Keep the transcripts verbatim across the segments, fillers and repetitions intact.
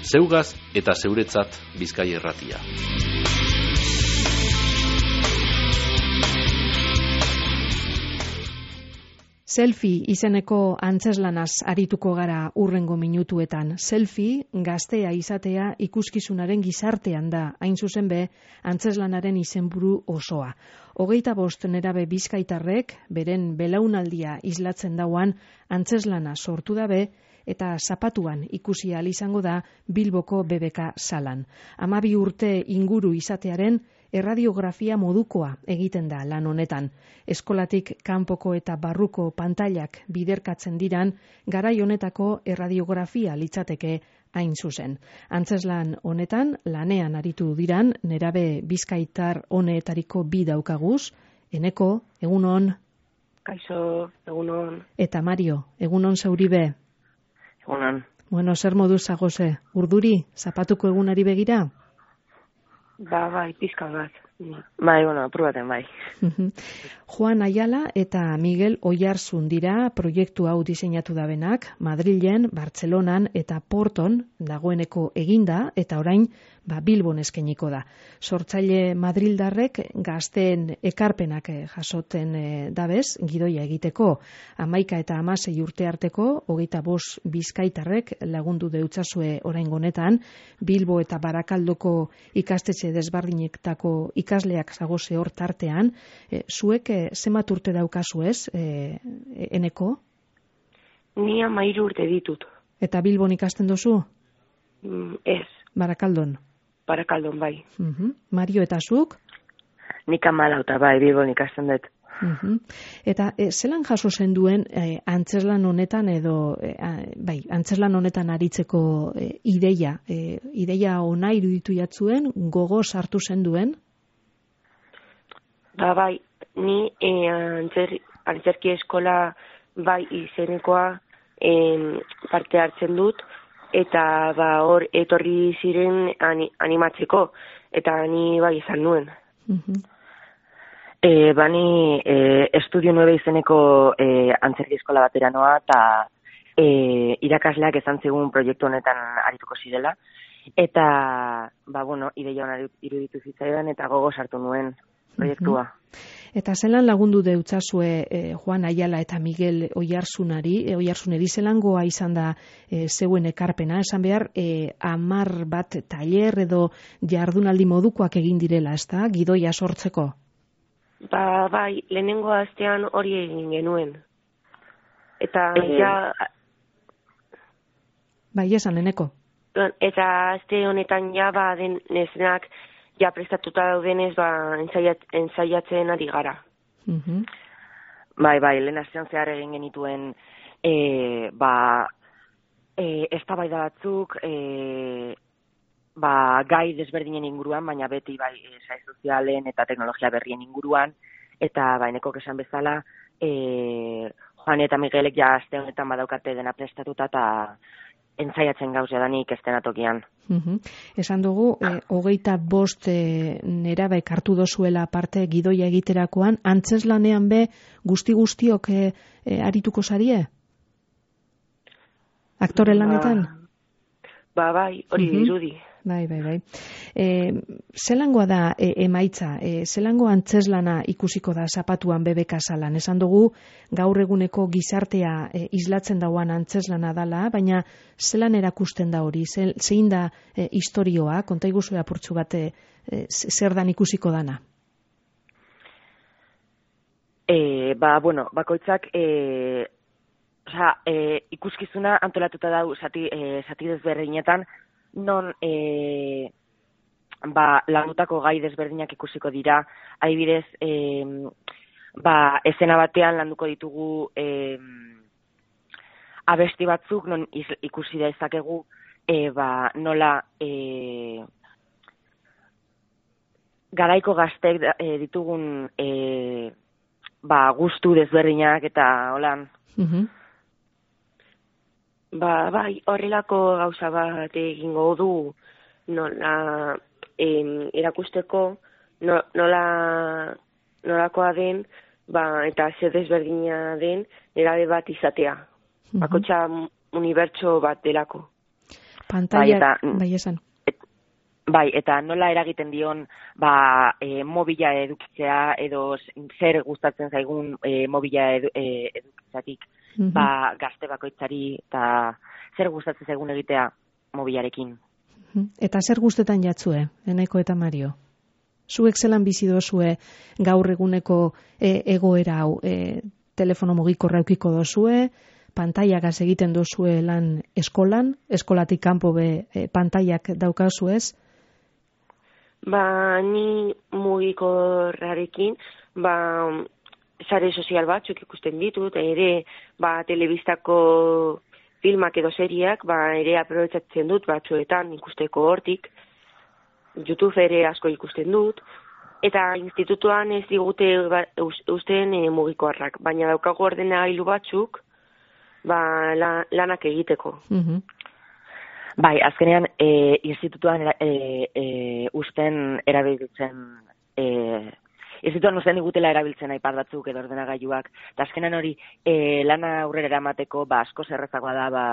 Zeugaz eta zeuretzat Bizkaia Irratia. Selfie izeneko antzezlanaz arituko gara urrengo minutuetan. Selfie gaztea izatea ikuskizunaren gizartean da, hain zuzen be, antzezlanaren izenburu osoa. Hogeita bost nerabe bizkaitarrek, beren belaunaldia islatzen dauan antzezlana sortu dabe, eta zapatuan ikusi ahal izango da Bilboko B B K salan. Hamabi urte inguru izatearen erradiografia modukoa egiten da lan honetan. Eskolatik kanpoko eta barruko pantailak biderkatzen diran, garai honetako erradiografia litzateke hain zuzen. Antzezlan honetan, lanean aritu diran, nerabe bizkaitar honetariko bi daukaguz, Eneko, egunon. Kaixo, egunon. Eta Mario, egunon zauribe. Egunon. Bueno, zer moduz zagoze? Urduri, zapatuko egunari begira? Ba, bai, pizka bat. Bai, bueno, aprobaten, bai. Juan Ayala eta Miguel Oiarzun dira proiektu hau diseinatu dabenak, Madrilen, Bartzelonan eta Porton dagoeneko eginda, eta orain ba, Bilbon eskainiko da. Sortzaile madrildarrek gazteen ekarpenak jasoten e, dabez, gidoia egiteko, hamaika eta hamasei urte arteko, hogeita bost bizkaitarrek lagundu deutzazue orain honetan, Bilbo eta Barakaldoko ikastetxe desberdinetako ikasleak zagoze hor tartean, e, zuek e, zenbat urte daukazu ez, e, Eneko? Ni hamairu urte ditut. Eta Bilbon ikasten dozu? Mm, ez. Barakaldon? Barakaldon, bai. Uh-huh. Mario, eta zuk? Nik amalauta, bai, Bilbon ikasten dut. Uh-huh. Eta e, zelan jaso zen duen e, antzezlan honetan edo e, a, bai, antzezlan honetan aritzeko e, ideia, e, ideia ona iruditu jatzuen, gogo sartu zen duen? Ba, bai, ni e, antzer, antzerki eskola bai izenekoa e, parte hartzen dut, eta ba hor etorri ziren ani, animatzeko, eta ni bai izan nuen. Uh-huh. E, bani e, Estudio nueve izeneko e, antzerki eskola batera noa, eta e, irakasleak esan zigun proiektu honetan arituko zirela, eta ba bueno, ideia hona iruditu zitzaidan, eta gogo sartu nuen proiektua. Uh-huh. Eta zelan lagundu deutzazue eh, Juan Ayala eta Miguel Oiarzunari, e, Oiarzuneri zelangoa izan da e, zeuen ekarpena, esan behar e, amar bat tailer edo jardunaldi modukoak egin direla, ezta, gidoia sortzeko? Ba, bai, lehenengo astean hori egin genuen. Eta e... ja... Bai, esan, Eneko. Eta aste honetan ja, ba, den nezenak ja prestatuta daudenez, ba, ensaiat, ensaiatzen ari gara. Uh-huh. Bai, bai, lehen astean zehar egin genituen e, ba, e, eztabaida batzuk, e, ba, gai desberdinen inguruan, baina beti bai, sare sozialen eta teknologia berrien inguruan, eta baineko esan bezala, e, Juan eta Miguelek ja aste honetan badaukate dena prestatuta eta entzaiatzen gauzea danik estenatokian. Uh-huh. Esan dugu, eh, hogeita bost eh, nerabek hartu dozuela parte gidoia egiterakoan, antzeslanean be guzti guztiok eh, eh, arituko zarie? Aktore lanetan? Ba, ba bai, hori uh-huh. dirudi. Bai, bai, bai. E, zelangoa da e, emaitza, e, zelango antzeslana ikusiko da zapatuan B B K salan. Esan dugu gaur eguneko gizartea e, islatzen dauan antzeslana dala, baina zelan erakusten da hori, Ze, zein da e, istorioa, konta iguzu apurtxu bat e, zer dan ikusiko dana? E, ba, bueno, bakoitzak e, oza, e, ikuskizuna antolatuta dau zati, e, zati desberdinetan, non e, ba, landutako gai desberdinak ikusiko dira, adibidez, e, ba, esena batean landuko ditugu e, abesti batzuk, non ikusi da ezakegu, e, ba, nola e, garaiko gaztek e, ditugun e, ba, gustu desberdinak eta holan. Uh-huh. Ba, bai, horrelako gauza bat egingo du nola em, erakusteko no, nola nolakoa den, ba, eta zer desberdina den nerabe bat izatea. Bakotxa unibertso bat delako. Pantaila, bai, bai esan. Et, bai, eta nola eragiten dion ba, e, mobila edukitzea edo zer gustatzen zaigun e, mobila edu, e, edukitzatik mm-hmm. ba, gazte bakoitzari eta zer gustatzen zaigun egitea mobilarekin. Eta zer gustetan jatzue, Eneko eta Mario? Zuek zelan bizi dozue gaur eguneko e, egoera hau, e, telefono mugikorra eukiko dozue, pantaiagaz egiten dozue lan eskolan, eskolatik kanpo be e, pantaiak daukazu ez? Ba, ni mugikorrarekin, ba, sare sozial batzuk ikusten ditut, ere, ba, telebistako filmak edo seriak, ba, ere aprobetsatzen dut batzuetan ikusteko hortik, YouTube ere asko ikusten dut, eta institutuan ez digute ba, usten e, mugikorrak, baina daukago ordenagailu batzuk, ba, la, lanak egiteko. Mm-hmm. Bai, azkenean, e, institutuan e, e, usten erabiltzen, e, institutuan usten digutela erabiltzen iPad batzuk edo ordenagailuak, eta azkenean hori e, lana aurrera eramateko, ba, asko zerrezagoa da, ba,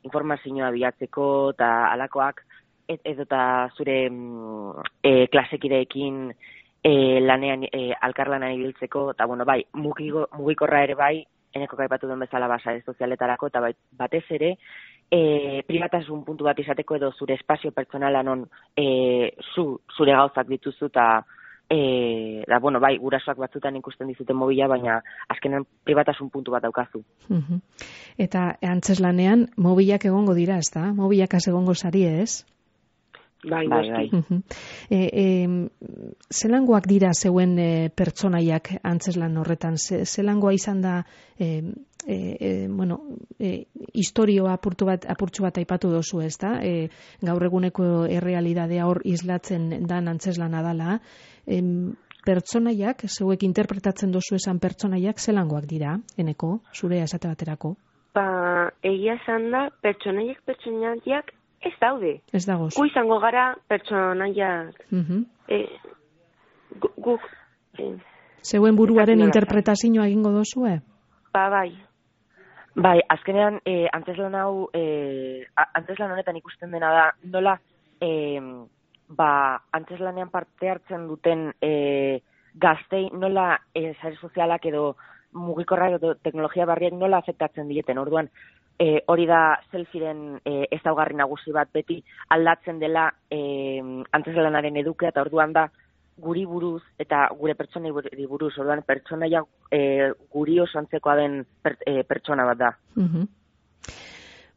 informazioa bilatzeko, eta alakoak, edo eta zure e, klasekideekin e, lanean, e, alkarlanan ibiltzeko, eta bueno, bai, mugigo, mugikorra ere bai, Eneko kaipatu duen bezala basa sozialetarako, eta bai, batez ere, e, pribatasun puntu bat izateko edo zure espazio pertsonala non e, zu, zure gauzak dituzu, eta e, da, bueno, bai, gurasoak batzutan ikusten dizuten mobila, baina azkenan pribatasun puntu bat daukazu. Uh-huh. Eta antzeslanean, mobilak egongo dira, ez da? Mobilak az egongo sari ez? Bai, bai, bai. Uh-huh. E, e, zelangoak dira zeuen e, pertsonaiak antzeslan horretan? Ze, zelangoa izan da, e, e, e, bueno, e, historioa apurtu bat, apurtxu bat aipatu dozu, ez da? E, gaur eguneko errealidadea hor islatzen dan antzeslana dala. E, pertsonaiak, zeuek interpretatzen dozu esan pertsonaiak, zelangoak dira, Eneko, zure esate baterako? Ba, egia esan da, pertsonaiak pertsonaiak ez daude. Ez dagoz. Gu izango gara pertsonaiak. Uh-huh. E, gu, e, zeuen buruaren interpretazioa egingo dozue? Ba, bai. Bai, azkenean, e, antzeslan hau, e, antzeslan honetan ikusten dena da, nola, e, ba, antzeslanean parte hartzen duten e, gaztei, nola e, sare sozialak edo mugikorra edo teknologia barriak nola afektatzen dieten. Orduan, E, hori da selfiren e, ezaugarri nagusi bat beti aldatzen dela e, antzeslanaren edukea, eta orduan da guri buruz eta gure pertsonei buruz, orduan pertsonaia e, guri oso antzekoa den per, e, pertsona bat da. Uh-huh.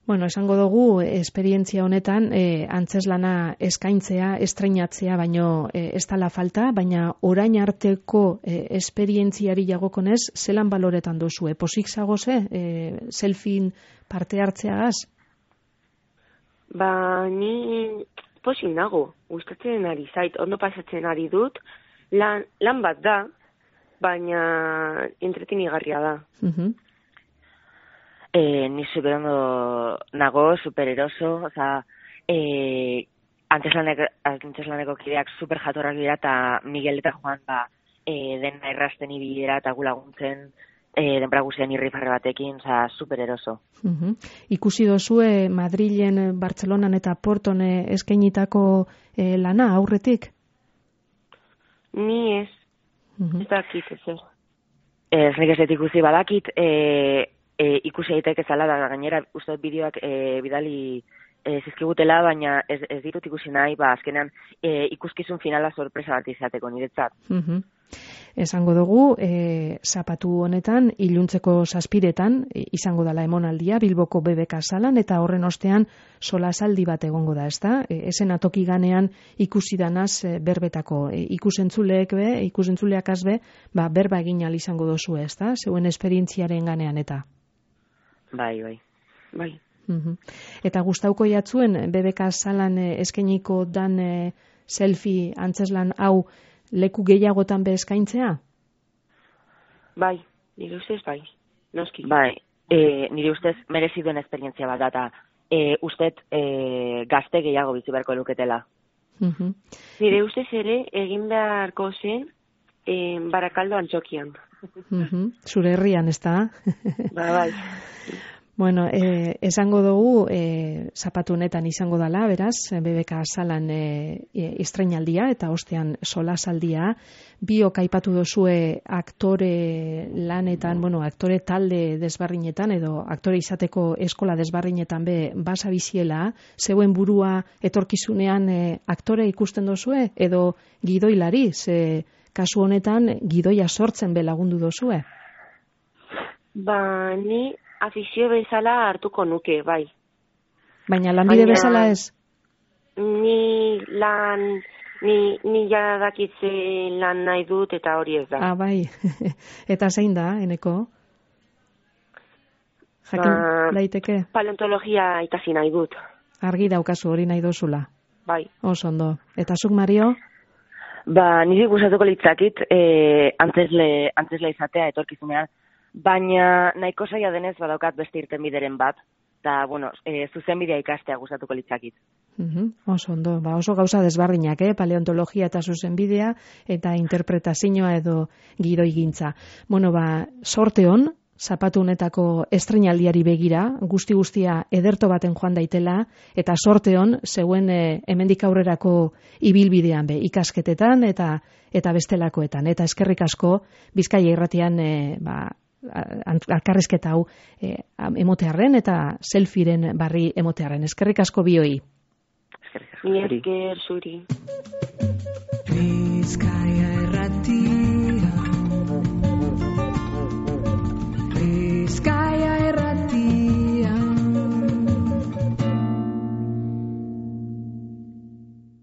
Bueno, esango dugu, esperientzia honetan, e, antzeslana eskaintzea, estreinatzea, baino e, ez dala falta, baina orain arteko e, esperientziari jagokonez, zelan baloretan duzue? Posik zagoze, e, selfien parte hartzeagaz? Ba, ni posik nago, gustatzen ari zait, ondo pasatzen ari dut, lan, lan bat da, baina entretenigarria da. Uh-huh. Eh, ni superondo nago, supereroso, oza, eh, anteslaneko, anteslaneko kideak super jatorrak dira, eta Miguel eta Juan, ba, eh, dena errasten ibilera eta gulaguntzen, eh, denbora guztien irrifarre batekin, oza, supereroso. Uh-huh. Ikusi dozue Madrilen, Bartzelonan eta Porton eskainitako eh, lana aurretik? Ni ez, uh-huh. ez dakit ez ez. Ez nik ez dut ikusi badakit, eh, E, ikusi daiteke zala da, gainera uste bideoak e, bidali e, zizkigutela, baina ez, ez ditut ikusi nahi, ba, azkenean e, ikuskizun finala sorpresa bat izateko niretzat. Uh-huh. Esango dugu, e, zapatu honetan, iluntzeko zazpiretan, e, izango dela emonaldia, Bilboko B B K salan, eta horren ostean solasaldi bat egongo da, ezta? E, esen atoki ganean ikusi danaz e, berbetako, e, ikusentzuleek be, ikusentzuleak azbe, ba, berba egin al izango dozu, ezta? Zeuen esperientziaren ganean eta. Bai, bai. Bai. Uh-huh. Eta gustauko jatzuen B B K salan e, eskainiko dan e, selfie antzeslan hau leku gehiagotan be eskaintzea? Bai, nire ustez bai, noski. Bai, e, nire ustez merezi duen esperientzia bat data. E, ustet e, gazte gehiago bizi beharko luketela. Uh-huh. Nire ustez ere egin beharko zen e, Barakaldo Antzokian. Uh-huh. Zure herrian, ez da? Ba, bai. Bueno, eh, esango dugu, eh, zapatu honetan izango dela, beraz, B B K salan eh, estreinaldia eta ostean solasaldia, biok aipatu dozue aktore lanetan, bueno, aktore talde desbarrinetan edo aktore izateko eskola desbarrinetan be basa biziela, zeuen burua etorkizunean eh, aktore ikusten dozue edo gidoilari, ze kasu honetan gidoia sortzen be lagundu dozue? Ba, ni afizio bezala hartuko nuke, bai. Baina lanbide Baina, bezala ez? Ni lan, ni, ni ja dakitze lan nahi dut eta hori ez da. Ah, bai. Eta zein da, Eneko? Jakin ba, daiteke? Paleontologia ikasi nahi dut. Argi daukazu hori nahi dozula? Bai. Oso ondo. Eta zuk, Mario? Ba, niri gustatuko litzakit eh, antzesle, antzesle izatea etorkizunean. Baina nahiko saia denez badaukat beste irtenbideren bat, eta, bueno, e, zuzenbidea ikastea gustatuko litzakit. Uh-huh. Oso ondo, ba, oso gauza desbardinak, eh? Paleontologia eta zuzenbidea, eta interpretazioa edo gidoigintza. Bueno, ba, sorte hon, zapatu honetako estreinaldiari begira, guzti-guztia ederto baten joan daitela, eta sorte hon, zeuen e, hemendik aurrerako ibilbidean be, ikasketetan eta eta bestelakoetan. Eta eskerrik asko, Bizkaia Irratian, e, ba, alkarrizketa hau eh, emotearren eta selfiren barri emotearren. Eskerrik asko bioi. Eskerrik asko zuri.